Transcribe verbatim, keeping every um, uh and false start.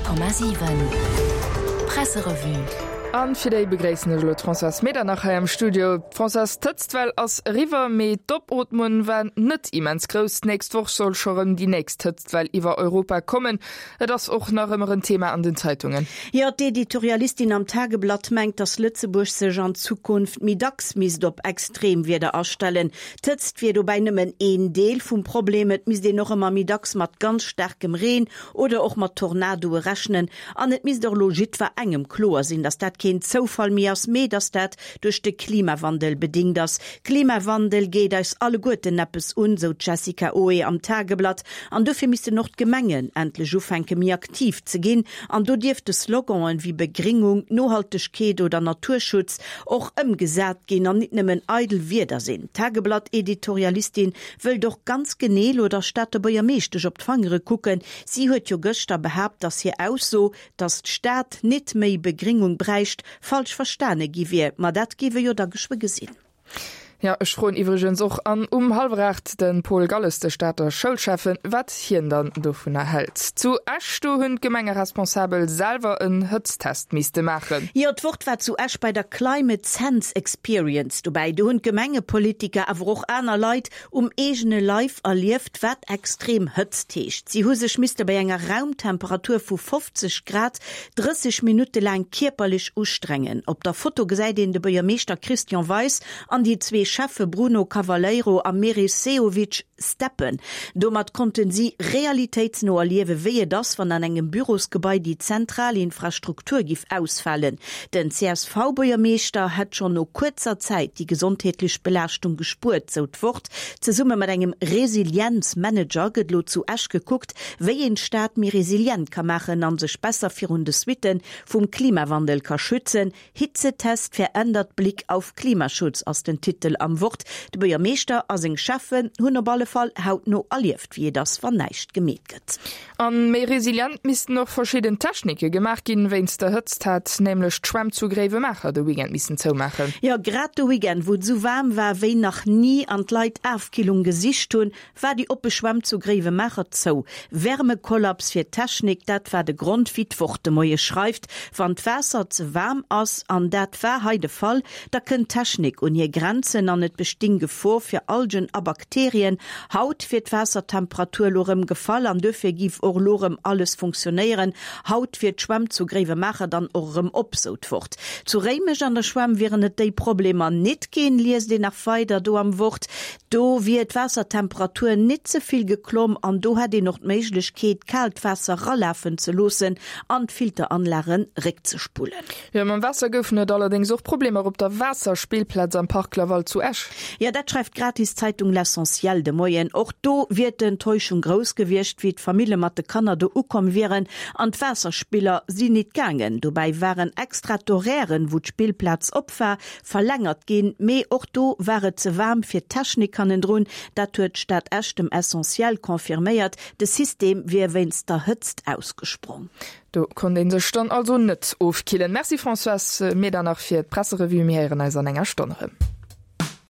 Honnert Komma siwen Presserevue. An fir déi begréissen ech elo d'Françoise Medernach hei am Studio. Françoise, d'Hëtztwell ass eriwwer, mee d'Opootmung war net immens grouss. D'nächst Woch soll scho rëm déi nächst Hëtztwell iwwer Europa kommen. Et ass och nach ëmmer en Thema an den Zeitungen. Jo, d'Editorialistin am Tageblatt mengt, datt Lëtzebuerg sech an Zukunft méi dacks misst op Extremwieder astellen. D'Hëtzt wier dobäi nëmmen een Deel vum Problem, et misst een och ëmmer méi dacks mat ganz staarkem Reen oder och mat Tornadoe rechnen. An et misst och elo jiddwerengem kloer sinn, datt dat keen Zoufall méi ass, mee datt dat duerch de Klimawandel bedingt ass. Klimawandel geet eis alleguerten eppes un, sou d'Jessica Oe am Tageblatt. An dofir missten och d'Gemengen endlech ufänke méi aktiv ze ginn. An do dierfte Sloganen wéi Begringung, Nohaltegkeet oder Naturschutz och ëmgesat ginn an nit nëmmen eidel Wierder sinn. D'Tageblatt-Editorialistin wëllt och ganz genee elo der Stater Buergermeeschtesch op d'Fangere kucken. Si huet jo gëschter behaapt, dass hir Ausso, dass d'Stad nit méi Begringung bräicht, falsch verstane gi wier. Ma dat gi wir jo da geschwë gesinn. Jo, ech froen iwwregens och an um hallwer aacht de Paul Galles, de Stater Schoulschäffen, wat hien dann dovunner hält. Zu Esch, do hunn d'Gemengeresponsabel selwer en Hëtzttest misste maachen. Jo, d'Wort war zu Esch bei der Climate Sense Experience dobäi. Do hunn d'Gemengepolitiker, awer och aner Leit um eegene Leif erlieft, wat extrem Hëtzt heescht. Si hu sech misste bei enger Raumtemperatur vu fofzeg Grad drësseg Minutte laang kierperlech ustrengen. Op der Foto gesäit een de Buergermeeschter Christian Weis an déi zwee Schäffe Bruno Cavaleiro a Meris Sehovic steppen. Domat konnten si realitéitsno erliewen, wéi et ass, wann an engem Bürosgebai déi zentral Infrastruktur giff ausfalen. Den C S V-Buergermeeschter hätt schonn no kuerzer Zäit déi gesondheetlech Belaaschtung gespuert, sou d'Wort. Zesumme mat engem Resilienz-Manager gëtt lo zu Esch gekuckt, wéi een d'Stad méi resilient ka maachen a sech besser virun de Suitte vum Klimawandel ka schützen. Hitzetest verändert Blick auf Klimaschutz ass den Titel am Wort. De Buergermeeschter a seng Schäffen hunn op alle Fall hautno erlieft, wéi et ass, wann näischt gemeet gëtt. A méi resilient missten och verschidden Technike gemaach ginn. Wéinst der Hëtzt hat nämlech d'Schwämm zu Gréiwemaacher de Weekend missen zoumaachen. Jo, grad de Weekend, wou et esou waarm war wéi nach ni an d'Leit Afkillung gesicht hunn, war déi oppe Schwämm zu Gréiwemaacher zou. Wärmekollaps fir d'Technik, dat war de Grond, wéi d'Wort de Moie schreift. Wann d'Waasser ze waarm ass, an dat war hei de Fall, da kënnt d'Technik un hir Grenzen an et besting Gefor fir Algen a Bakterien. Haut wier d'Waassertemperatur lo rëm gefall an duerfir giff och lo rëm alles funktionéieren. Haut wier d'Schwämm zu Gréiwemaacher dann och rëm op, sou d'Wort. Zu Réimech an der Schwämm wieren et déi Problemer nit ginn, liest een nach weider do am Wort. Do wier d'Waassertemperatur nit ze vill geklomm an do hätt een och d'Méiglechkeet, kaalt Waasser ralafen ze loossen an d'Filteranlagen réckzespullen. Jo, mam Waasser goufen et allerdéngs och Problemer op der Waasserspillplaz am Parc Laval zu Esch. Jo, dat schreift d'Gratiszeitung L'Essentiel de Moien. Och do wier d'Enttäuschung grouss gewiescht, wéi d'Famille mat de Kanner do ukomm wieren an d'Waasserspiller sinn nit gaangen. Dobäi waren extra d'Horairen, wou d'Spillplaz op war, verlängert ginn, mee och do war et ze waarm fir d'Technik hannendrun. Dat huet d'Stad Esch dem Essentiel confirméiert. De System wier wéinst der Hëtzt ausgesprong. Do konnt ee sech dann also net ofkillen. Merci Françoise Medernach fir d'Presserevue. Mir héieren eis an enger Stonn erëm.